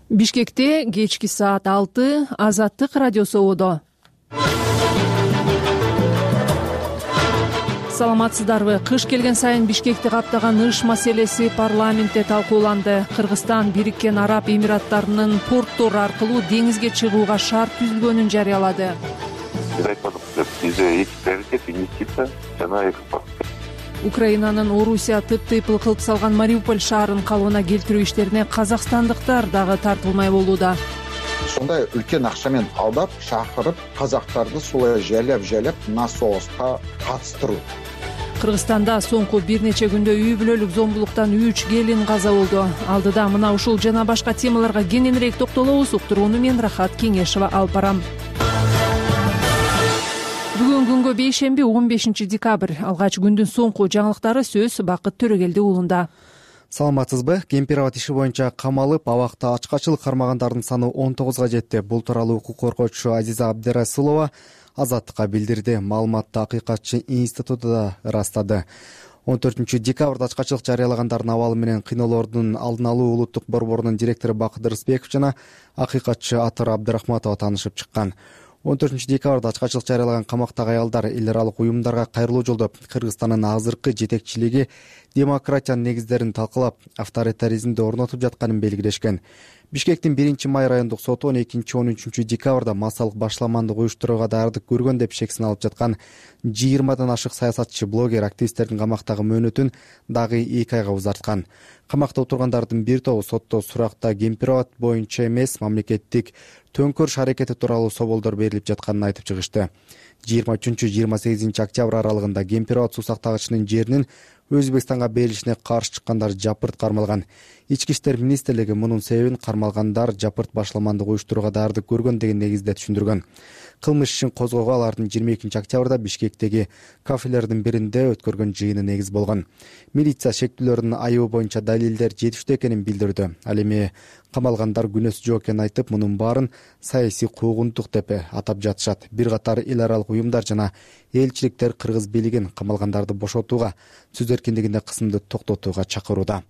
Бишкекте кечки саат 6 Азаттык радиосу ободо. Саламатсыздарбы? Кыш келген сайын Бишкекти каптаган ыш маселеси парламентте талкууланды. Кыргызстан Бириккен Араб Эмираттарынын порттору аркылуу деңизге чыгууга шарт түзүлгөнүн жарыялады. Бизде эки приоритет — инвестиция жана экспорт. Украинанын Орусия тып-тыйпыл кылып салган Мариуполь шаарын калыбына келтирүү иштерине казакстандыктар дагы тартылмай болууда. Сондай үлкен акчамен алдап, чакырып, казактарды сулай жалап мына согуска катыштыруу. Кыргызстанда соңку бир нече күндө үй бүлөлүк зомбулуктан 3 келин каза болду. Алдыда мына ушул жана башка темаларга кененирээк токтолобуз. Уктурууну мен Рахат Кеңешова алып барам. Бүгүн күнгө бейшемби 15 декабрь. Алгач күндүн соңку жаңылыктары сөз Бакыт Төрөгелди уулунда. Саламатсызбы? Кемпир-абад иши боюнча камалып, абакта ачкачылык кармагандардын саны 19га жетти. Бул тууралуу укук коргоочу Азиза Абдырасулова Азаттыкка билдирди. Маалыматты Акыйкатчы институту да ырастады. 14 декабрда ачкачылык жарыялагандардын абалы менен кыйноолордун алдын алуу улуттук борборунун директору Бакыт Рысбеков жана акыйкатчы Атыр Абдырахматова таанышып чыккан. 14 декабрда ачкачылык жарыялаган камактагы аялдар эл аралык уюмдарга кайрылуу жолдоп, Кыргызстандын азыркы жетекчилиги демократиянын негиздерин талкалап, авторитаризмди орнотуп жатканын белгилешкен. Бишкектин 1-май райондук соту 12-13 декабрда массалык башламандык уюштурууга даярдык көргөн деп шексин алып жаткан 20дан ашык саясатчы, блогер, активисттердин камактагы мөөнөтүн дагы 2 айга узарткан. Камакта отургандардын бир тобу сотто суракта кемпир-абад боюнча эмес, мамлекеттик төңкөрүш аракети тууралуу соболдор берилип жатканын айтып чыгышты. 23-28 октябрь аралыгында кемпир-абад суу сактагычынын жеринин Өзбекстанга берилишине каршы чыккандар жапырт кармалган. Ички иштер министрлиги мунун себебин кармалгандар жапырт башламандык уюштурууга даярдык көргөн деген негизде түшүндүргөн. Кылмыш ишин козгоого алардын 22 октябрда Бишкектеги кафелердин биринде өткөргөн жыйыны негиз болгон. Милиция шектүүлөрдүн айыбы боюнча далилдер жетиштүү экенин билдирди. Ал эми камалгандар күнөөсү жок экенин айтып, мунун баарын саясий куугунтук деп атап жатышат. Бир катар эл аралык уюмдар жана элчиликтер кыргыз бийлигин камалгандарды бошотууга, сөз эркиндигинде кысымды токтотууга чакырууда.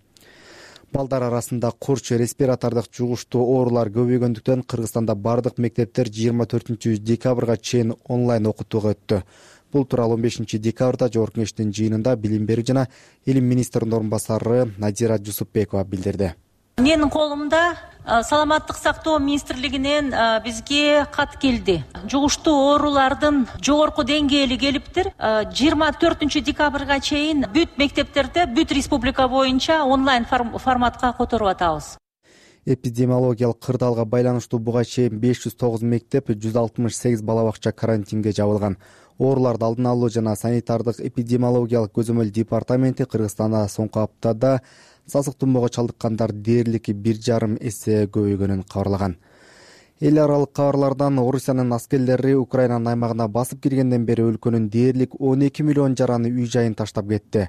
Балдар арасында курч, респиратордук жугуштуу оорулар көбөйгөндүктөн Кыргызстанда бардык мектептер 24 декабрга чейин онлайн окутууга өттү. Бул тууралуу 15 декабрда Жогорку Кеңештин жыйынында билим берүү жана илим министринин орун басары Надира Жусупбекова билдирди. Менин колумда Саламаттык сактоо министрлигинен бизге кат келди. Жугуштуу оорулардын жогорку деңгээли келиптир. 24 декабрга чейин бүт мектептерде, бүт республика боюнча онлайн форматка которуп атабыз. Эпидемиологиялык кырдаалга байланыштуу буга чейин 509 мектеп, 168 бала бакча карантинге жабылган. Ооруларды алдын алуу жана санитардык эпидемиологиялык көзөмөл департаменти Кыргызстанда соңку аптада сасык тумоого чалдыккандар дээрлик 1,5 эсе көбөйгөнүн кабарлаган. Эл аралык кабарлардан Орусиянын аскерлери Украинанын аймагына басып киргенден бери өлкөнүн дээрлик 12 миллион жараны үй-жайын таштап кетти.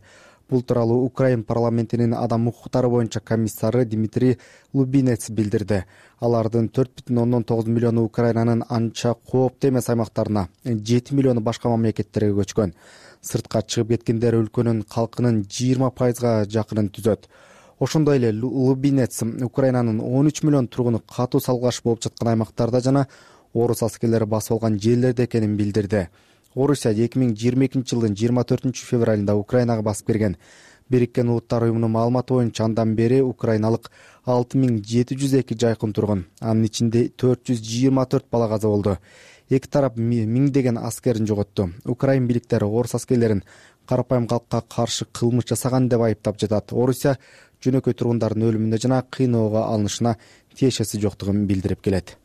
Бул тууралуу Украин парламентинин адам укуктары боюнча комиссары Дмитрий Лубинец билдирди. Алардын 4,9 миллиону Украинанын анча кооптуу эмес аймактарына, 7 миллиону башка мамлекеттерге көчкөн. Сыртка чыгып кеткендер өлкөнүн калкынын 20%га жакынын түзөт. Ошондой эле Лубинец Украинанын 13 миллион тургуну катуу салгылаш болуп жаткан аймактарда жана орус аскерлери басып алган жерлерде экенин билдирди. Орусия 2022 жылдын 24 февралында Украинага басып кирген. Бириккен Улуттар уюмунун маалыматы боюнча андан бери украиналык 6702 жайкын тургун. Анын ичинде 424 бала каза болду. Эки тарап миңдеген аскерин жоготту. Украин бийликтери орус аскерлерин карапайым калкка каршы кылмыш жасаган деп айыптап жатат. Орусия жөнөкөй тургундардын өлүмүнө жана кыйноого алынышына тиешеси жоктугун билдирип келет.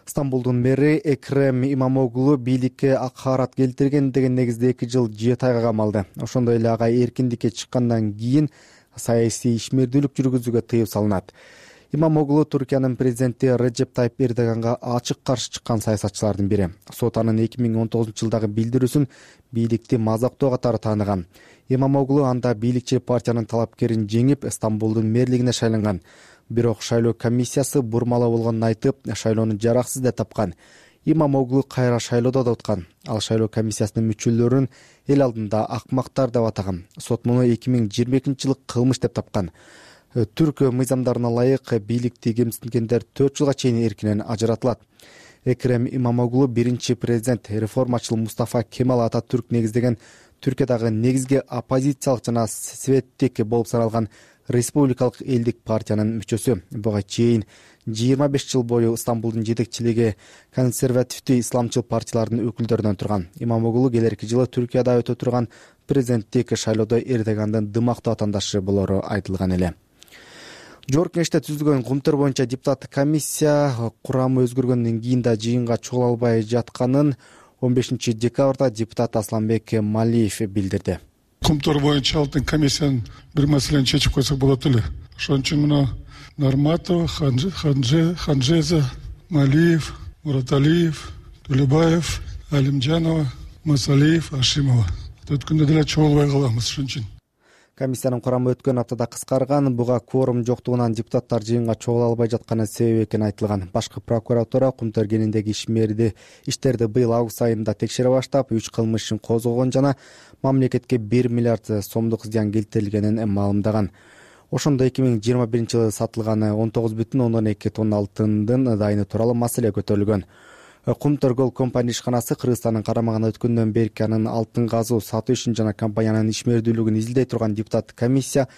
Стамбулдун мэри Экрем Имамоглу бийликке акаарат келтирген деген негизде 2 жыл 7 айга камалды. Ошондой эле ага эркиндикке чыккандан кийин саясий ишмердүүлүк жүргүзүүгө тыюу салынат. Имамоглу Туркиянын президенти Реджеп Тайип Эрдоганга ачык каршы чыккан саясатчылардын бири. Сот анын 2019 жылдагы билдирүүсүн бийликти мазактоо катары тааныган. Имамоглу анда бийликчил партиянын талапкерин жеңип, Стамбулдун мэрлигине шайланган. Бирок шайлоо комиссиясы бурмалаа болгонун айтып, шайлоону жараксыз деп тапкан. Имамоглу кайра шайлоодо да уткан. Ал шайлоо комиссиясынын мүчөлөрүн эл алдында акмактар деп атаган. Сот муну 2022 жылы кылмыш деп тапкан. Түрк мыйзамдарына ылайык бийликти кемсингендер 4 жылга чейин эркинен ажыратылат. Экрем Имамоглу биринчи президент реформачыл Мустафа Кемал Ататүрк негиздеген Түркиядагы негизги оппозициялык жана светтик болуп саналган Республикалык элдик партиянын мүчөсү. Буга чейин 25 жыл бою Стамбулдун жетекчилиги консервативдүү исламчыл партиялардын өкүлдөрүнөн турган. Имамоглу келерки жылы Түркияда өтө турган президенттик шайлоодо Эрдогандын дымактуу атаандашы болору айтылган эле. Жогорку Кеңеште түзүлгөн кумтөр боюнча депутаттык комиссия курамы өзгөргөндөн кийин да жыйынга чогула албай жатканын 15 декабрда депутат Асланбек Малиев билдирди. Кумтөр боюнча алтын комиссиянын бир маселени чечип койсок болот эле. Ошон үчүн мына Нарматова, Ханжеза, Малиев, Мураталиев, Төлөбаев, Алимжанова, Масалиев, Ашимова. Өткөндө деле чогулбай калабыз ошон үчүн. Комиссиянын курамы өткөн аптада кыскарган, буга кворум жоктугунан депутаттар жыйынга чогула албай жатканы себеп экени айтылган. Башкы прокуратура кумтөр кенендеги иштерди быйыл август айында текшере баштап, 3 кылмыш ишин козгогон жана мамлекетке 1 миллиард сомдук зыян келтирилгенин маалымдаган. Ошондо 2021 жылы сатылган 19,2 тонна алтындын дайыны тууралуу маселе көтөрүлгөн. Кумтөр Gold компания ишканасы Кыргызстандын карамагына өткөндөн берки анын алтын казуу сатуу ишин жана компаниянын ишмердүүлүгүн изилдей турган депутаттык комиссия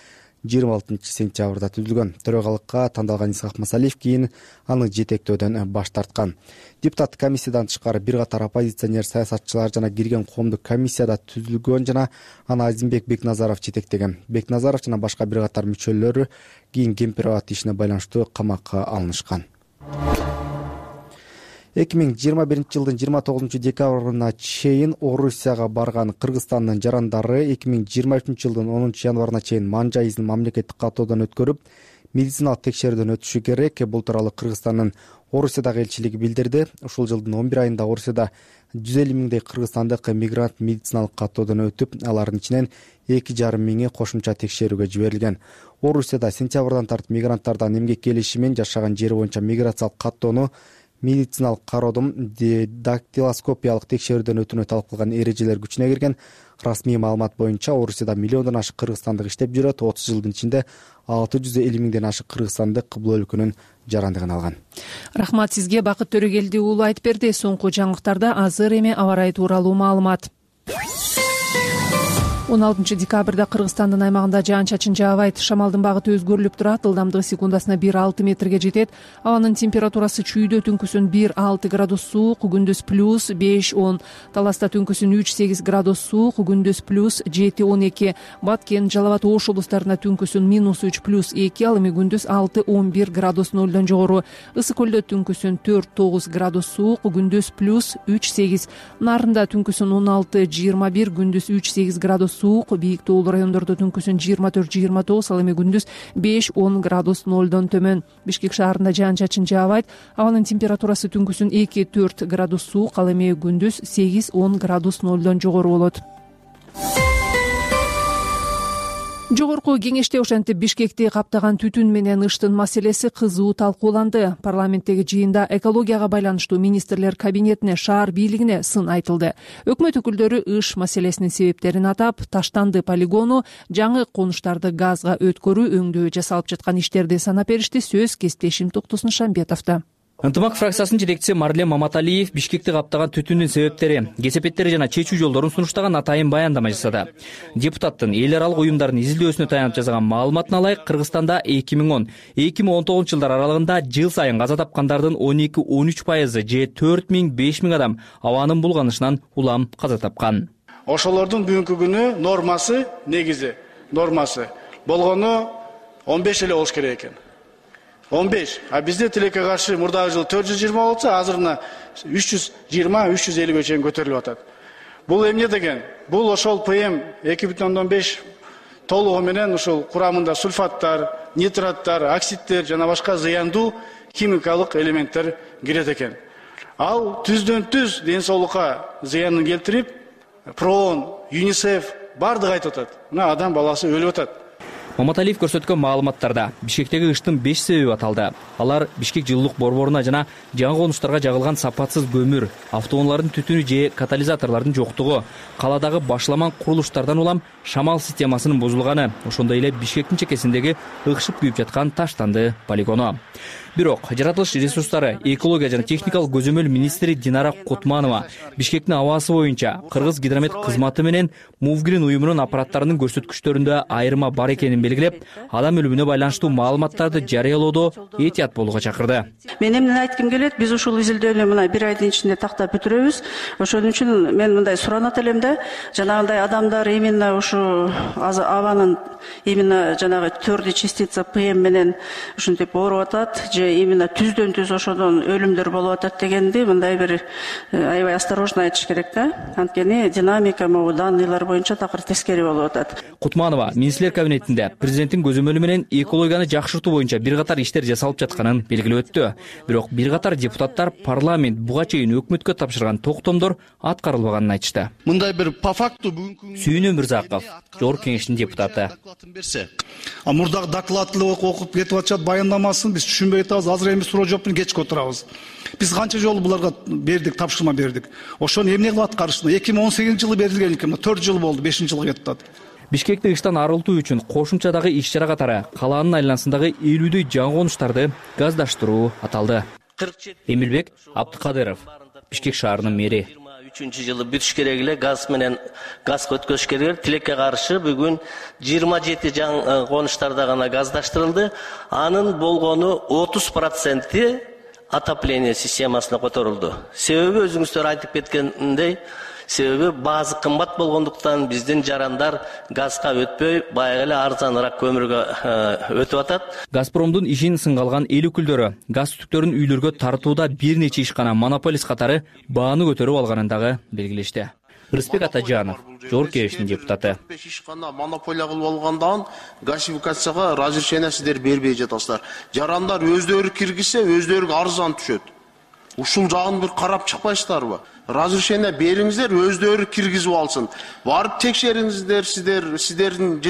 26 сентябрда түзүлгөн. Төрагалыкка тандалган Исхак Масалиев кийин аны жетектөөдөн баш тарткан. Депутаттык комиссиядан тышкары бир катар оппозиционер саясатчылар жана кирген коомдук комиссияда түзүлгөн жана аны Азимбек Бекназаров жетектеген. Бекназаров жана башка бир катар мүчөлөрү кийин Кемпирабад ишине байланыштуу камакка алынышкан. 2021 жылдын 29 декабрына чейин Орусияга барган Кыргызстандын жарандары 2023 жылдын 10 январына чейин манжа изин мамлекеттик каттоодон өткөрүп, медициналык текшерүүдөн өтүшү керек. Бул тууралуу Кыргызстандын Орусиядагы элчилиги билдирди. Ушул жылдын 11 айында Орусияда 150 миңдей кыргызстандык мигрант медициналык каттоодон өтүп, алардын ичинен 2,5 миңи кошумча текшерүүгө жиберилген. Орусияда сентябрдан тартып мигранттардан эмгек келиши менен жашаган жери боюнча миграциялык каттоону, медициналык кароодон дактилоскопиялык текшерүүдөн өтүүнү талап кылган эрежелер күчүнө кирген. Расмий маалымат боюнча Орусияда миллиондон ашык кыргызстандык иштеп жүрөт. 30 жылдын ичинде 650 миңден ашык кыргызстандык бул өлкөнүн жарандыгын алган. Рахмат сизге, Бакыт Төрөгелди уулу айтып берди. Соңку жаңылыктарда азыр эми аба ырайы тууралуу маалымат. 16 декабрда Кыргызстандын аймагында жаан-чачын жаабайт. Шамалдын багыты өзгөрүлүп турат. Ылдамдыгы секундасына 1,6 метрге жетет. Абанын температурасы чүйдө түнкүсүн 1,6 градус суук, күндүз плюс 5-10. Таласта түнкүсүн 3-8 градус суук, күндүз плюс 7-12. Баткен, Жалал Абад, Ош облустарына түнкүсүн -3 плюс 2, ал эми күндүз 6-11 градус 0дон жогору. Ысык көлдө түнкүсүн 4-9 градус суук, күндүз плюс 3-8. Нарында түнкүсүн 16-21, күндүз 3-8 градус суук, бийик тоолуу райондордо түнкүсүн 24-29, ал эми күндүз 5-10 градус 0дон төмөн. Бишкек шаарында жаан-чачын жаабайт. Абанын температурасы түнкүсүн 2-4 градус суук, ал эми күндүз 8-10 градус 0дон жогору болот. Жогорку Кеңеште ошентип Бишкекти каптаган түтүн менен ыштын маселеси кызуу талкууланды. Парламенттеги жыйында экологияга байланыштуу министрлер кабинетине, шаар бийлигине сын айтылды. Өкмөт өкүлдөрү ыш маселесинин себептерин атап, Таштанды полигону, жаңы конуштарды газга өткөрүү өңдөө жасалып жаткан иштерди санап беришти. Сөз кесиптешим Токтосун Шамбетовдо. Ынтымак фракциясынын жетекчиси Марлен Маматалиев Бишкекти каптаган түтүндүн себептери, кесепеттери жана чечүү жолдорун сунуштаган атайын баяндама жасады. Депутаттын эл аралык уюмдардын изилдөөсүнө таянып жасаган маалыматына ылайык, Кыргызстанда 2010-2019 жылдар аралыгында жыл сайын каза тапкандардын 12-13% же 4,000-5,000 адам абанын булганышынан улам каза тапкан. Ошолордун бүгүнкү күнү нормасы, негизи нормасы болгону 15 эле болуш керек экен. 15. А бизде тилекке каршы мурдагы жыл 420 болсо, азырына 320-350 чейин көтөрүлүп атат. Бул эмне деген? Бул ошол ПМ 2,5 толугу менен ушул курамында сульфаттар, нитраттар, оксидтер жана башка зыяндуу химикалык элементтер кирет экен. Ал түздөн түз ден соолукка зыянын келтирип, ПРООН, ЮНИСЕФ бардыгы айтып атат. Мына адам баласы өлүп атат. Маматалиев көрсөткөн маалыматтарда Бишкектеги кыштын 5 себеби аталды. Алар Бишкек жылуулук борборуна жана жаңы конуштарга жагылган сапатсыз көмүр, автоунаалардын түтүнү же катализаторлордун жоктугу, каладагы башламан курулуштардан улам шамал системасынын бузулганы, ошондой эле Бишкектин чекесиндеги ыкшып күйүп жаткан таштанды полигону. Бирок жаратылыш ресурстары, экология жана техникалык көзөмөл министри Динара Кутманова Бишкектин абасы боюнча Кыргыз гидромет кызматы менен Мувгрин уюмунун аппараттарынын көрсөткүчтөрүндө айырма бар экенин белгилеп, адам өлүмүнө байланыштуу маалыматтарды жарыялоодо этият болууга чакырды. Мен эмнени айткым келет, биз ушул изилдөөнү мына 1 айдын ичинде тактап бүтүрөбүз. Ошон үчүн мен мындай суранат элем да, жанагындай адамдар именно ушу абанын именно жанагы төрдү частица ПМ менен ушинтип ооруп атат, именно түздөн түз ошодон өлүмдөр болуп атат дегенди мындай бир аябай осторожно айтыш керек да. Анткени динамика могу данныйлар боюнча такыр тескери болуп атат. Кутманова министрлер кабинетинде президенттин көзөмөлү менен экологияны жакшыртуу боюнча бир катар иштер жасалып жатканын белгилеп өттү. Бирок бир катар депутаттар парламент буга чейин өкмөткө тапшырган токтомдор аткарылбаганын айтышты. Мындай бир по факту бүгүнкү Сүйүнү Мырзаков, Жогорку Кеңештин депутаты. Мурдагы докладты окуп кетип атышат, баяндамасын биз түшүнбөй атабыз. Азыр эми суроо жооптун кечке отурабыз. Биз канча жолу буларга бердик, тапшырма бердик. Ошону эмне кылып аткарышты? 2018-жылы берилген экен, 4 жыл болду, 5-жылга кетип атат. Бишкекти кыштан арылтуу үчүн кошумчадагы иш-чара катары калаанын айланасындагы 50дөй жаңы конуштарды газдаштыруу аталды. Эмилбек Абдыкадыров, Бишкек шаарынын мэри. 2023-жылы бүтүш керек эле, газ менен газга өткөзүш керек. Тилекке каршы бүгүн 27 жаңы конуштарда гана газдаштырылды. Анын болгону 30% отопление системасына которулду. Себеби өзүңүздөр айтып кеткендей, себеби базы кымбат болгондуктан биздин жарандар газга өтпөй, баягы эле арзаныраак көмүргө өтүп атат. Газпромдун ишин сынга алган эл өкүлдөрү газ түтүктөрүн үйлөргө тартууда бир нече ишкана монополист катары бааны көтөрүп алганын дагы белгилешти. Рыспек Атажанов, Жогорку Кеңештин депутаты. Ишкана монополия кылып алгандан газификацияга разрешение сиздер бербей жатасыздар. Жарандар өздөрү киргизсе, өздөрүгө арзан түшөт. Ушул жагын бир карап чыкпайсыздарбы? Разрешение бериңиздер, өздөрү киргизип алсын. Барып текшериңиздер, сиздердин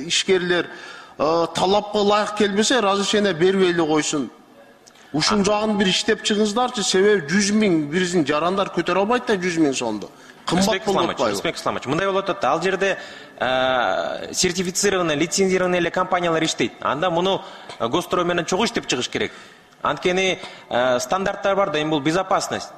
ишкерлер талапка ылайык келбесе, разрешение бербей эле койсун. Ушул жагын бир иштеп чыгыңыздарчы, себеби 100 000 биздин жарандар көтөрө албайт да 100 000 сомду. Кымбат болуп атпайбы? Респект Исламович, мындай болуп атат. Ал жерде сертифицированный, лицензированный эле компаниялар иштейт. Анда муну госстрой менен чогуу иштеп чыгыш керек. Анткени стандарттар бар да, эми бул безопасность.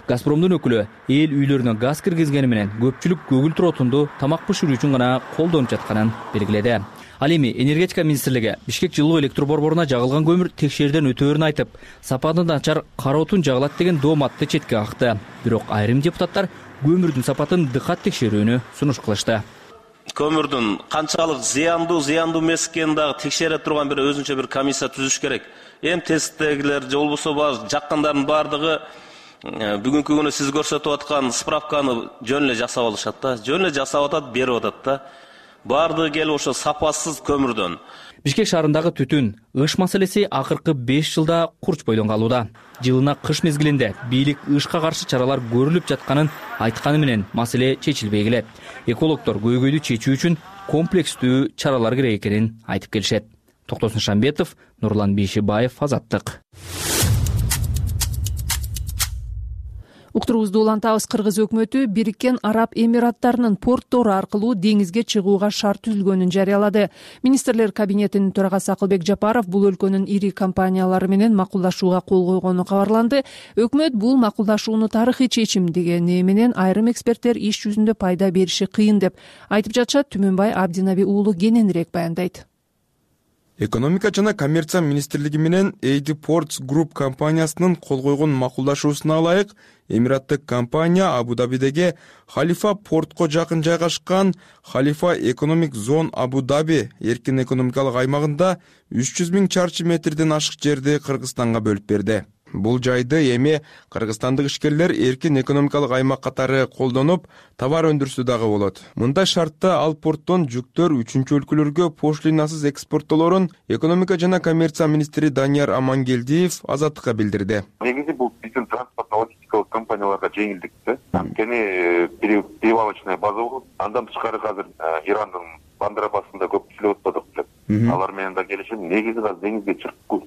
Газпромдун өкүлү эл үйлөрүнө газ киргизгени менен көпчүлүк көгүлтүр отунду тамак бышыруу үчүн гана колдонуп жатканын белгиледи. Ал эми энергетика министрлиги Бишкек жылуу электр борборуна жагылган көмүр текшерүүдөн өтөөрүн айтып, сапаты начар кара отун жагылат деген дооматты четке какты. Бирок айрым депутаттар көмүрдүн сапатын дыкат текшерүүнү сунуш кылышты. Көмүрдүн канчалык зыяндуу эмес экенин дагы текшере турган бир өзүнчө бир комиссия түзүш керек. Эми тесттегилер же болбосо жаккандардын баардыгы бүгүнкү күнү сиз көрсөтүп аткан справканы жөн эле жасап алышат да. Жөн эле жасап атат, берип атат да. Баардыгы келип ошо сапасыз көмүрдөн. Бишкек шаарындагы түтүн, ыш маселеси акыркы 5 жылда курч бойдон калууда. Жылына кыш мезгилинде бийлик ышка каршы чаралар көрүлүп жатканын айтканы менен маселе чечилбей келет. Экологдор көйгөйдү чечүү үчүн комплекстүү чаралар керек экенин айтып келишет. Токтосун Шамбетов, Нурлан Бейшибаев, Азаттык. Уктуруубузду улантабыз. Кыргыз өкмөтү Бириккен Араб Эмираттарынын порттору аркылуу деңизге чыгууга шарт түзүлгөнүн жарыялады. Министрлер кабинетинин төрагасы Акылбек Жапаров бул өлкөнүн ири компаниялары менен макулдашууга кол койгону кабарланды. Өкмөт бул макулдашууну тарыхый чечим дегени менен айрым эксперттер иш жүзүндө пайда бериши кыйын деп айтып жатышат. Түмөнбай Абдинаби уулу кененирээк баяндайт. Экономика жана коммерция министрлиги менен AD Ports Group компаниясынын кол койгон макулдашуусуна ылайык Эмираттык компания Абу-Дабидеги Халифа портко жакын жайгашкан Халифа Economic Zone Абу-Даби эркин экономикалык аймагында 300 000 чарчы метрден ашык жерди Кыргызстанга бөлүп берди. Бул жайды эми кыргызстандык ишкерлер эркин экономикалык аймак катары колдонуп, товар өндүрсө дагы болот. Мындай шартта ал порттон жүктөр 3-чү өлкөлөргө пошлинасыз экспорттолорун экономика жана коммерция министри Данияр Амангелдиев Азаттыкка билдирди. Негизи бул биздин транспорт-логистикалык компанияларга жеңилдик да. Анткени перевалочная база болот. Андан тышкары азыр Ирандын Бандыр абасында көп иштеп атпадык деп. Алар менен да келишим. Негизи да деңизге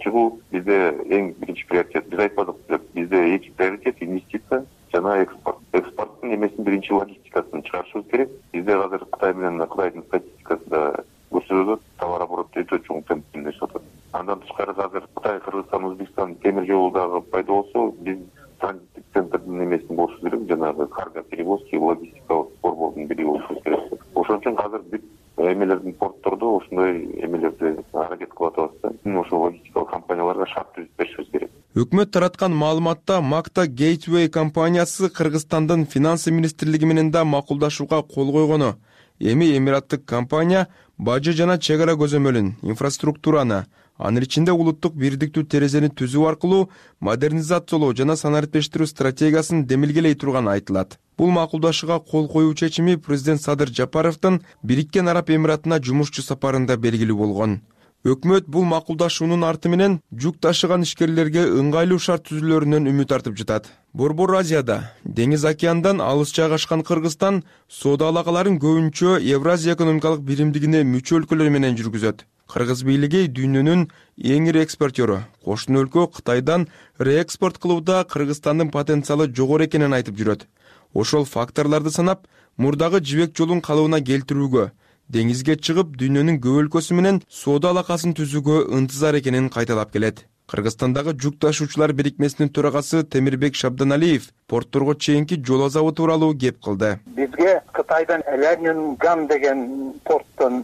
чыгуу бизде эң биринчи приоритет. Биз айтпадык деп, бизде эки приоритет: инвестиция жана экспорт. Экспорттун эмесин биринчи логистикасын чыгарышыбыз керек. Бизде азыр Кытай менен Кытайдын статистикасында көрсөтөт, товар обороты өтө чоң темпте өсүп атат. Андан тышкары азыр Кытай, Кыргызстан, Өзбекстан темир жолу дагы пайда болсо, биз транзиттик центрдин эмесин болушу керек, жанагы карго перевозки, логистикалык борбордун бири болушу керек. Ошон үчүн азыр бүт эмелердин порттордо ошондой эмелерди аракет кылып атабыз да. Ошо логистикалык компанияларга шарт түзүп беришибиз керек. Өкмөт тараткан маалыматта Макта Гейтвей компаниясы Кыргызстандын финансы министрлиги менен да макулдашууга кол койгону. Эми эмираттык компания бажы жана чек ара көзөмөлүн, инфраструктураны, анын ичинде улуттук бирдиктүү терезени түзүү аркылуу модернизациялоо жана санариптештирүү стратегиясын демилгелей турганы айтылат. Бул макулдашууга кол коюу чечими президент Садыр Жапаровдун Бириккен Араб Эмиратына жумушчу сапарында белгилүү болгон. Өкмөт бул макулдашуунун арты менен жүк ташыган ишкерлерге ыңгайлуу шарт түзүүлөрүнөн үмүт артып жатат. Борбор Азияда, деңиз океандан алыс жайгашкан Кыргызстан соода алакаларын көбүнчө Евразия экономикалык биримдигине мүчө өлкөлөр менен жүргүзөт. Кыргыз бийлиги дүйнөнүн эң ири экспортёру. Кошуна өлкө Кытайдан реэкспорт кылууда Кыргызстандын потенциалы жогору экенин айтып жүрөт. Ошол факторлорду санап, мурдагы жибек жолун калыбына келтирүүгө, деңизге чыгып дүйнөнүн көп өлкөсү менен соода алакасын түзүүгө ынтызар экенин кайталап келет. Кыргызстандагы жүк ташуучулар бирикмесинин төрагасы Темирбек Шабданалиев портторго чейинки жол азабы тууралуу кеп кылды. Бизге Кытайдан Лянинган деген порттон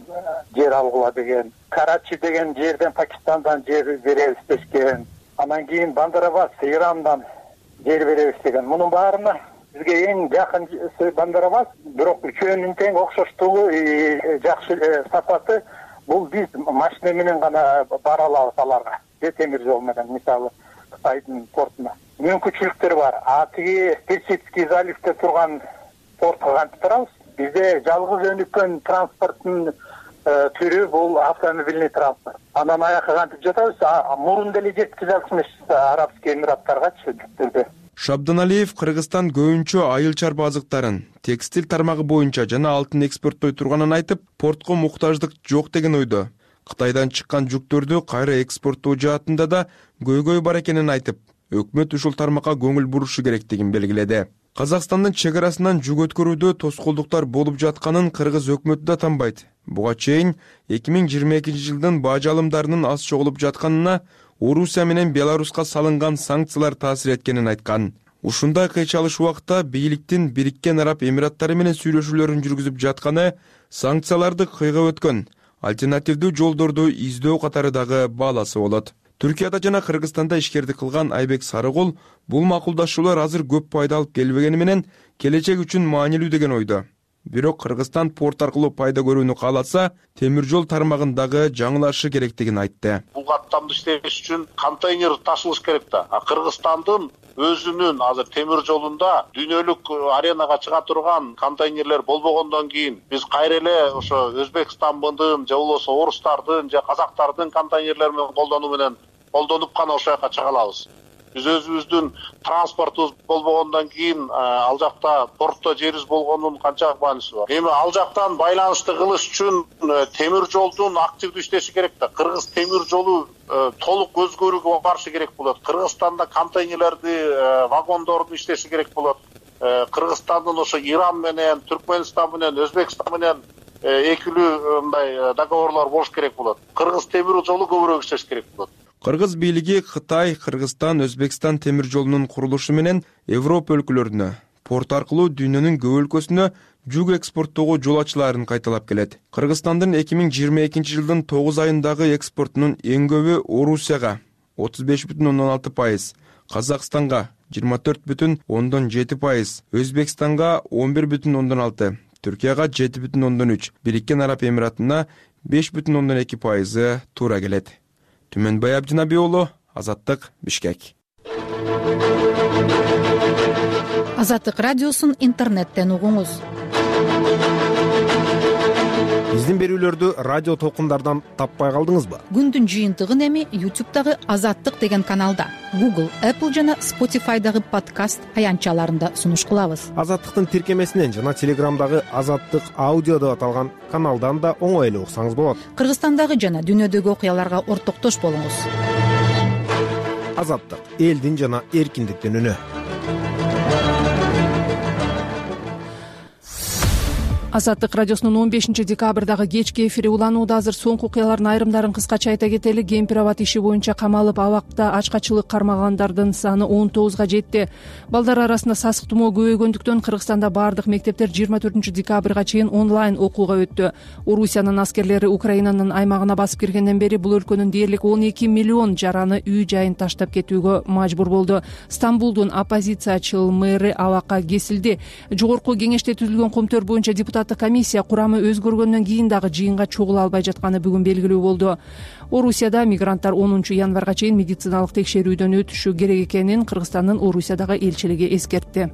жер алгыла деген, Карачи деген жерден Пакистандан жер беребиз дешкен, анан кийин Бандарабас Ирандан жер беребиз деген. Мунун баарына бизге эң жакын Бандарабас, бирок үчөөнүн тең окшоштугу, жакшы сапаты бул биз машина менен гана бара алабыз аларга. Темир жол менен мисалы Кытайдын портуна мүмкүнчүлүктөр бар. Тиги Персидский заливде турган портко кантип барабыз? Бизде жалгыз өнүккөн транспорттун түрү бул автомобильный транспорт. Андан аяка кантип жатабыз? Мурун деле жеткизе алчумуш Арабский Эмираттаргачы жүктөрдө. Шабданалиев Кыргызстан көбүнчө айыл чарба азыктарын, текстиль тармагы боюнча жана алтын экспорттой турганын айтып, портко муктаждык жок деген ойдо. Кытайдан чыккан жүктөрдү кайра экспорттоо жаатында да көйгөй бар экенин айтып, өкмөт ушул тармакка көңүл бурушу керектигин белгиледи. Казакстандын чек арасынан жүк өткөрүүдө тоскоолдуктар болуп жатканын кыргыз өкмөтү да танбайт. Буга чейин 2022 жылдын бажы алымдарынын аз чогулуп жатканына Орусия менен Беларуска салынган санкциялар таасир эткенин айткан. Ушундай кыйчалыш убакта бийликтин Бириккен Араб Эмираттары менен сүйлөшүүлөрүн жүргүзүп жатканы санкцияларды кыйгап өткөн альтернативдүү жолдорду издөө катары дагы бааласы болот. Түркияда жана Кыргызстанда ишкердик кылган Айбек Сарыгул бул макулдашуулар азыр көп пайда алып келбегени менен келечек үчүн маанилүү деген ойдо. Бирок Кыргызстан порт аркылуу пайда көрүүнү кааласа, темир жол тармагындагы жаңылашы керектигин айтты. Бул каттамды иштеш үчүн контейнер ташылыш керек да. Кыргызстандын өзүнүн азыр темир жолунда дүйнөлүк аренага чыга турган контейнерлер болбогондон кийин биз кайра эле ошо Өзбекстандын же болбосо орустардын же казактардын контейнерлерин колдонуп гана ошол жака чыга алабыз. Биз өзүбүздүн транспортубуз болбогондон кийин ал жакта портто жерибиз болгонунун канчалык мааниси бар. Эми ал жактан байланышты кылыш үчүн темир жолдун активдүү иштеши керек да. Кыргыз темир жолу толук өзгөрүүгө барышы керек болот. Кыргызстанда контейнерлерди, вагондорду иштеши керек болот. Кыргызстандын ошо Иран менен, Түркмөнстан менен, Өзбекстан менен экилүү мындай договорлор болуш керек болот. Кыргыз темир жолу көбүрөөк иштеш керек болот. Кыргыз бийлиги Кытай, Кыргызстан, Өзбекстан темир жолунун курулушу менен Европа өлкөлөрүнө, порт аркылуу дүйнөнүн көп өлкөсүнө жүк экспорттоого жол ачылаарын кайталап келет. Кыргызстандын 2022 жылдын 9 айындагы экспортунун эң көбү Орусияга 35,6%, Казакстанга 24,7%, Өзбекстанга 11,6%, Түркияга 7,3%, Бириккен Араб Эмиратына 5,2% туура келет. Түмөнбай Абдинаби уулу, Азаттык, Бишкек. Азаттык радиосун интернеттен угуңуз. Биздин берүүлөрдү радио толкундардан таппай калдыңызбы? Күндүн жыйынтыгын эми YouTube'дагы Азаттык деген каналда, Google, Apple жана Spotify'дагы подкаст аянтчаларында сунуш кылабыз. Азаттыктын тиркемесинен жана Телеграмдагы Азаттык аудио деп аталган каналдан да оңой эле уксаңыз болот. Кыргызстандагы жана дүйнөдөгү окуяларга ортоктош болуңуз. Азаттык — элдин жана эркиндиктин үнү. Азаттык радиосунун 15-декабрдагы кечки эфири уланууда. Азыр соңку окуялардын айрымдарын кыскача айта кетели. Кемпир-аба иши боюнча камалып абакта ачкачылык кармагандардын саны 19га жетти. Балдар арасында сасык тумоо көбөйгөндүктөн Кыргызстанда баардык мектептер 24-декабрга чейин онлайн окууга өттү. Орусиянын аскерлери Украинанын аймагына басып киргенден бери бул өлкөнүн дээрлик 12 миллион жараны үй жайын таштап кетүүгө мажбур болду. Стамбулдун оппозициячыл мэри абакка кесилди. Жогорку кеңеште түзүлгөн коомтор боюнча депутаттык комиссия курамы өзгөргөндөн кийин дагы жыйынга чогула албай жатканы бүгүн белгилүү болду. Орусияда мигранттар 10-январга чейин медициналык текшерүүдөн өтүшү керек экенин Кыргызстандын Орусиядагы элчилиги эскертти.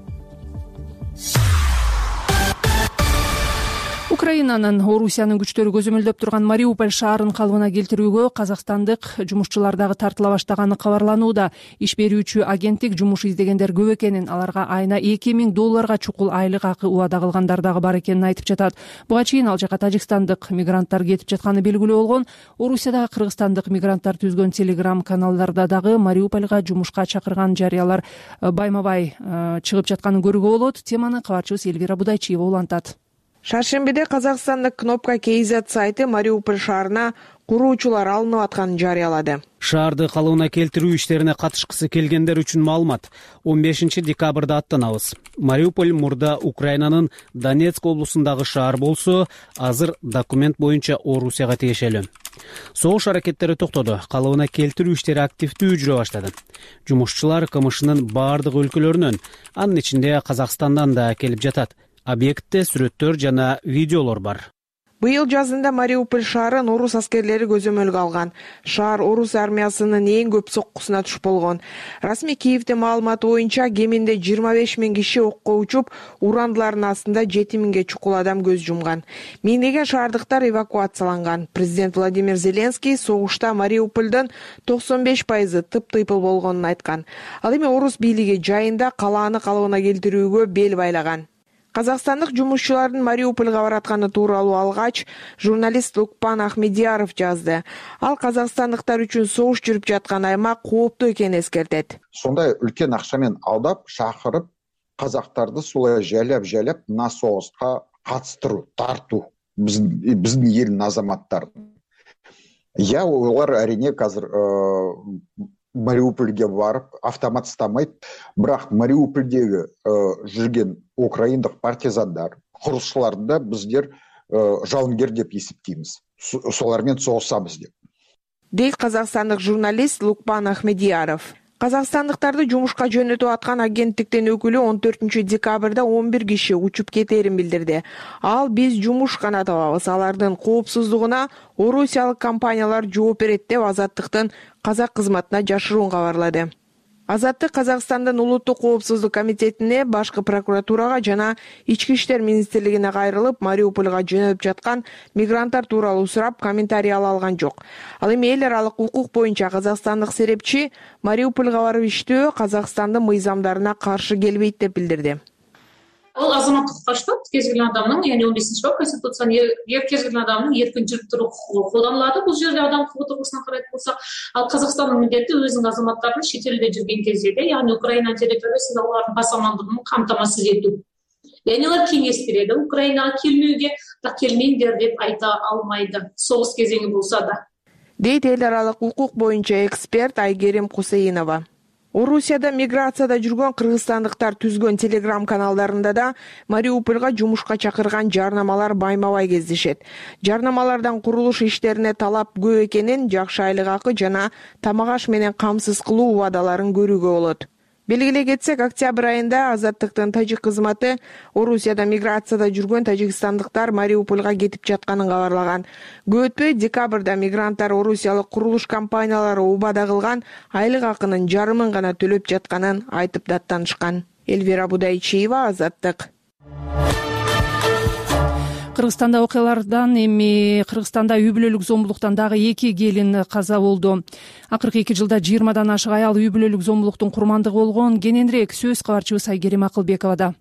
Украинанын Орусиянын күчтөрү көзөмөлдөп турган Мариуполь шаарын калыбына келтирүүгө казакстандык жумушчулар дагы тартыла баштаганы кабарланууда. Иш берүүчү агенттик жумуш издегендер көп экенин, аларга айына $2000 чукул айлык акы убада кылгандар дагы бар экенин айтып жатат. Буга чейин ал жака тажикстандык мигранттар кетип жатканы белгилүү болгон. Орусиядагы кыргызстандык мигранттар түзгөн Telegram каналдарда дагы Мариупольга жумушка чакырган жарыялар байма-бай чыгып жатканын көрүүгө болот. Теманы кабарчыбыз Элвира Будайчиева улантат. Шаршембиде Казакстандык Кнопка KZ сайты Мариуполь шаарына куруучулар алынып атканын жарыялады. Шаарды калыбына келтирүү иштерине катышкысы келгендер үчүн маалымат. 15-декабрда аттанабыз. Мариуполь мурда Украинанын Донецк облусундагы шаар болсо, азыр документ боюнча Орусияга тиешелүү. Согуш аракеттери токтоду. Калыбына келтирүү иштери активдүү жүрө баштады. Жумушчулар КМШнын баардык өлкөлөрүнөн, анын ичинде Казакстандан да келип жатат. Объектте сүрөттөр жана видеолор бар. Быйыл жазында Мариуполь шаарын орус аскерлери көзөмөлгө алган. Шаар орус армиясынын эң көп соккусуна туш болгон. Расмий Киевдин маалыматы боюнча кеминде 25 000 киши окко учуп, урандылардын астында 7 000ге чукул адам көз жумган. Миңдеген шаардыктар эвакуацияланган. Президент Владимир Зеленский согушта Мариупольдун 95% тып-тыйпыл болгонун айткан. Ал эми орус бийлиги жайында калааны калыбына келтирүүгө бел байлаган. Казакстандык жумушчулардын Мариупольга баратканы тууралуу алгач, журналист Лукпан Ахмедияров жазды. Ал казакстандыктар үчүн согуш жүрүп жаткан аймак кооптуу экенин эскертет. Сондай үлкен акчамен алдап, шакырып, казактарды солай жайлап мына согуска катыштыруу, тартуу биздин элдин азаматтарын. Олар әрине қазір Мариупольге барып автомат ұстамайды, бірақ Мариупольдегі жүрген украиндық партизандар, құрылысшыларды біздер жауынгер деп есептейміз. Солармен соғысамыз деп. Дейт казакстандык журналист Лукпан Ахмедияров. Казакстандыктарды жумушка жөнөтүп аткан агенттиктин өкүлү 14 декабрда 11 киши учуп кетерин билдирди. Ал биз жумуш гана табабыз, алардын коопсуздугуна орусиялык компаниялар жооп берет деп Азаттыктын казак кызматына жашыруун кабарлады. Азаттык Казакстандын улуттук коопсуздук комитетине, башкы прокуратурага жана ички иштер министрлигине кайрылып, Мариупольга жөнөп жаткан мигранттар тууралуу сурап, комментарий ала алган жок. Ал эми эл аралык укук боюнча казакстандык серепчи Мариупольга барып иштөө Казакстандын мыйзамдарына каршы келбейт деп билдирди. Ол азаматтык каштат, кез келген адамдын, яғни 15-бап Конституциянын кез келген адамдын эркин жүрүп туруу укугу колдонулат. Бул жерде адам укугу тургусунан карайт болсак, ал Казакстандын милдети өзүнүн азаматтарын чет элде жүрген кезде, яғни Украина территориясында алардын бас амандыгын камтамасыз этүү. Яғни алар кеңеш берет, Украинага келмөөгө да келмеңдер деп айта алмайды, согуш кезеңи болсо да. Дейт эл аралык укук боюнча эксперт Айгерим Кусейинова. Орусияда миграцияда жүргөн кыргызстандыктар түзгөн Telegram каналдарында да Мариупольга жумушка чакырган жарнамалар байма-бай кездешет. Жарнамалардан курулуш иштерине талап көп экенин, жакшы айлык акы жана тамак аш менен камсыз кылуу убадаларын көрүүгө болот. Белгилей кетсек, октябрь айында Азаттыктын тажик кызматы Орусияда миграцияда жүргөн тажикстандыктар Мариупольга кетип жатканын кабарлаган. Көп өтпөй декабрда мигранттар орусиялык курулуш компаниялары убада кылган айлык акынын жарымын гана төлөп жатканын айтып даттанышкан. Элвира Будайчиева, Азаттык. Кыргызстанда окуялардан эми Кыргызстанда үй бүлөлүк зомбулуктан дагы 2 келин каза болду. Акыркы 2 жылда 20дан ашык аял үй бүлөлүк зомбулуктун курмандыгы болгон. Кененирээк сөз кабарчыбыз Айгерим Акылбековада.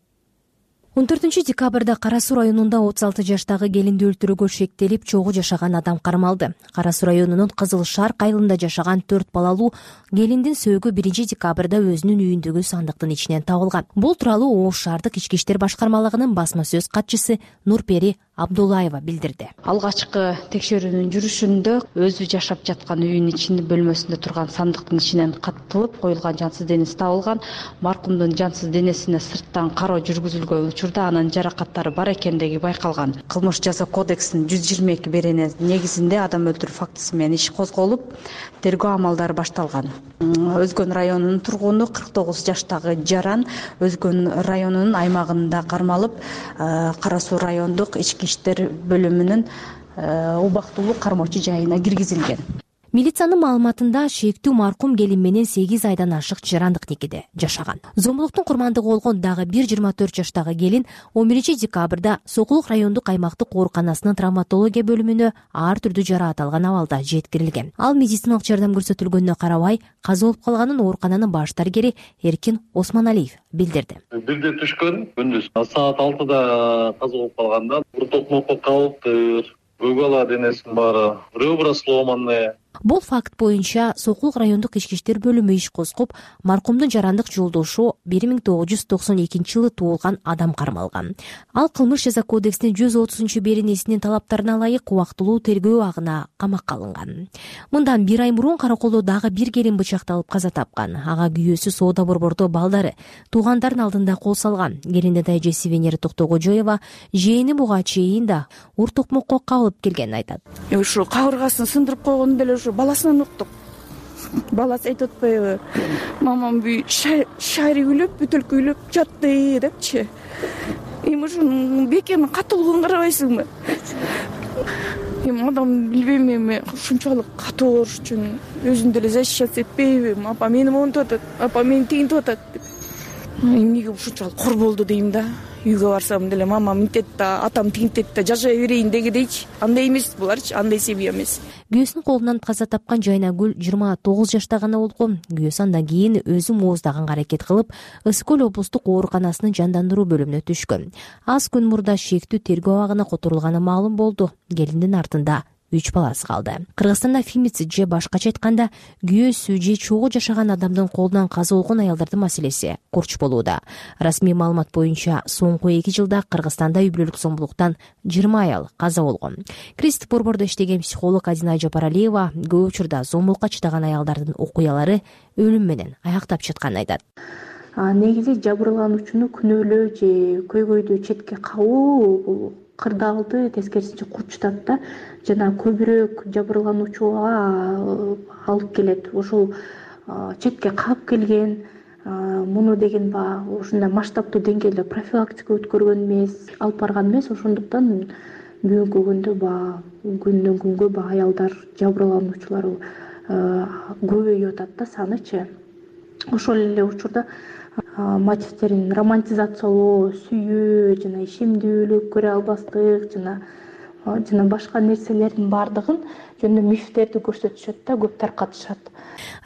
14-декабрда Кара Суу районунда 36 жаштагы келинди өлтүрүүгө шектелип чогуу жашаган адам кармалды. Кара Суу районунун Кызыл Шар айылында жашаган 4 балалуу келиндин сөөгү 1-декабрда өзүнүн үйүндөгү сандыктын ичинен табылган. Бул тууралуу Ош шаардык ички иштер башкармалыгынын басма сөз катчысы Нурпери Абдуллаева билдирди. Алгачкы текшерүүнүн жүрүшүндө өзү жашап жаткан үйүнүн ичинде бөлмөсүндө турган сандыктын ичинен каттылып коюлган жансыз денеси табылган. Маркумдун жансыз денесине сырттан кароо жүргүзүлгөн учурда анын жаракаттары бар экендиги байкалган. Кылмыш жаза кодексинин 122 берене негизинде адам өлтүрүү фактысы менен иш козголуп, тергөө амалдары башталган. Өзгөн районунун тургуну 49 жаштагы Жаран Өзгөн районунун аймагында кармалып, Кара Суу райондук ички иштер бөлүмүнүн убактылуу кармоочу жайына киргизилген. Милициянын маалыматында шектүү маркум келин менен 8 айдан ашык жарандык никеде жашаган. Зомбулуктун курмандыгы болгон дагы 24 жаштагы келин 11-декабрда Сокулук райондук аймактык ооруканасынын травматология бөлүмүнө ар түрдүү жара аталган абалда жеткирилген. Ал медициналык жардам көрсөтүлгөнүнө карабай каза болуп калганын оорукананын баш дарыгери Эркин Осмоналиев билдирди. Бирде түшкөн, күндүз саат 6да каза болуп калганда токмокко калыптыр. Бөгала денесинин баары ребра сломанные. Бул факт боюнча Сокулук райондук ички иштер бөлүмү иш козгоп, маркумдун жарандык жолдошу 1992 жылы туулган адам кармалган. Ал кылмыш жаза кодексинин 130 беренесинин талаптарына ылайык убактылуу тергөө абагына камакка алынган. Мындан 1 ай мурун Караколдо дагы бир келин бычакталып каза тапкан. Ага күйөөсү соода борбордо балдары туугандардын алдында кол салган. Келиндин эжеси Венера Токтогожоева жээни буга чейин да ур токмокко кабылып келгенин айтат. Ушу кабыргасын сындырып койгону деле ушу баласынан уктук. Баласы айтып атпайбы? Мамам бүй шари күлүп, бүтөлкү күлүп жатты депчи. Эми ушунун бекемин катуулугун карабайсыңбы? Эми адам билбейм, эми ушунчалык катуу болуш үчүн өзүн деле защищаться этпейби? Апа мени монтуп атат, апа мени тигинтип атат деп. Эмнеге ушунчалык кор болду дейм да. Үйгө барсам деле мамам мынтет да, атам тигинтет да, жашай берейин дегидейчи. Андай эмес буларчы, андай семья эмес. Күйөөсүнүн колунан каза тапкан Жайнагүл 29 жашта гана болгон. Күйөөсү андан кийин өзү мооздоганга аракет кылып, Ысык көл облустук ооруканасынын жандандыруу бөлүмүнө түшкөн. Аз күн мурда шектүү тергөө абагына которулганы маалым болду. Келиндин артында 3 баласы калды. Кыргызстанда фемицид же башкача айтканда күйөөсү же чогуу жашаган адамдын колунан каза болгон аялдардын маселеси курч болууда. Расмий маалымат боюнча соңку 2 жылда Кыргызстанда үй бүлөлүк зомбулуктан 20 аял каза болгон. Кристип борбордо иштеген психолог Адина Жапаралиева көп учурда зомбулукка чыдаган аялдардын окуялары өлүм менен аяктап чыкканын айтат. Негизи жабырлануучуну күнөөлөө же көйгөйдү четке кагуу бул кырдаалды тескерисинче курчутат да, жана көбүрөөк жабырлануучуга алып келет. Ошол четке кагып келген, муну деген ушундай масштабтуу деңгээлде профилактика өткөргөн эмес, алып барган эмес. Ошондуктан бүгүнкү күндө күндөн күнгө аялдар жабырлануучулар көбөйүп атат да, санычы. Ошол эле учурда мотивтерин романтизациялоо, сүйүү жана ишемдүүлүк көрө албастык жана башка нерселердин баардыгын жөнүндө мифтерди көрсөтүшөт да, көп таркатышат.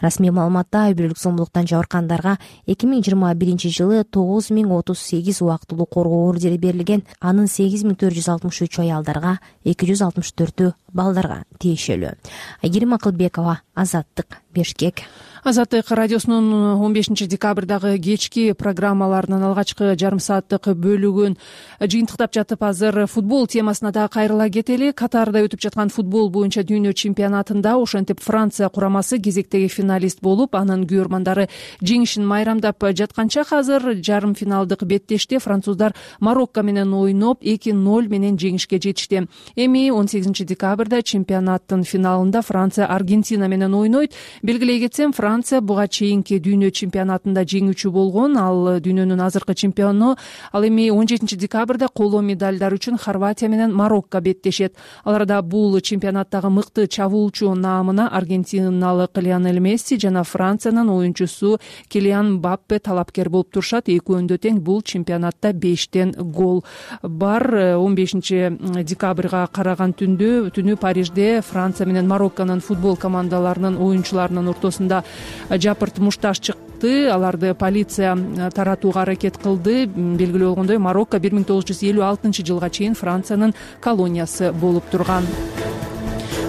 Расмий маалыматта үй бүлөлүк зомбулуктан жабыркагандарга 2021 жылы 9038 убактылуу коргоо ордери берилген. Анын 8463 аялдарга, 264 балдарга тиешелүү. Айгерим Акылбекова, Азаттык, Бишкек. Азаттык радиосунун 15 декабрдагы кечки программаларынын алгачкы жарым сааттык бөлүгүн жыйынтыктап жатып, азыр футбол темасына да кайрыла кетели. Катарда өтүп жаткан футбол боюнча дүйнө чемпионатында ошентип Франция курамасы кезектеги финалист болуп, анын күйөрмандары жеңишин майрамдап жатканча азыр жарым финалдык беттеште француздар Марокко менен ойноп 2-0 менен жеңишке жетишти. Эми 18 декабрда чемпионаттын финалында Франция Аргентина менен ойнойт. Белгилей кетсем, Франция буга чейинки дүйнө чемпионатында жеңүүчү болгон. Ал дүйнөнүн азыркы чемпиону. Ал эми 17 декабрда коло медалдар үчүн Хорватия менен Марокко беттешет. Ал арада бул чемпионаттагы мыкты чабуулчу наамына аргентиналык Лионель Месси жана Франциянын оюнчусу Килиан Мбаппе талапкер болуп турушат. Экөөндө тең бул чемпионатта 5тен гол бар. 15 декабрга караган түнү Парижде Франция менен Марокконун футбол командаларынын оюнчуларынын ортосунда жапырт мушташ чыкты. Аларды полиция таратууга аракет кылды. Белгилүү болгондой, Марокко 1956 жылга чейин Франциянын колониясы болуп турган.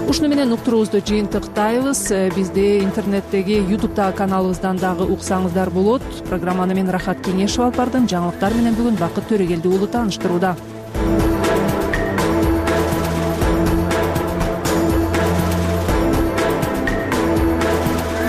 Ушуну менен уктуруубузду жыйынтыктайбыз. Бизди интернеттеги YouTube'дагы каналыбыздан дагы уксаңыздар болот. Программаны мен Рахат Кеңешева алып бардым. Жаңылыктар менен бүгүн Бакыт Төрөгелди уулу тааныштырууда.